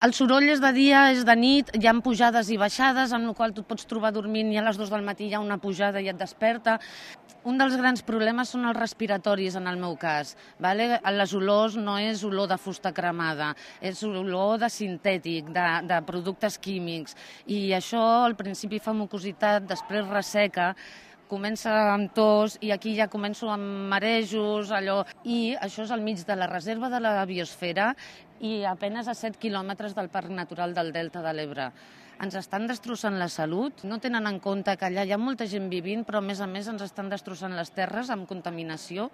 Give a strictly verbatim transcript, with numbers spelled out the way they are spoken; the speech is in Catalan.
El soroll és de dia, és de nit, hi ha pujades i baixades, amb la qual tu et pots trobar dormint i a les dues del matí hi ha una pujada i et desperta. Un dels grans problemes són els respiratoris, en el meu cas. Vale? Les olors no és olor de fusta cremada, és olor de sintètic, de, de productes químics. I això al principi fa mucositat, després resseca, comença amb tos i aquí ja començo amb marejos, allò. I això és al mig de la reserva de la biosfera i a penes a set quilòmetres del Parc Natural del Delta de l'Ebre. Ens estan destrossant la salut, no tenen en compte que allà hi ha molta gent vivint, però a més a més ens estan destrossant les terres amb contaminació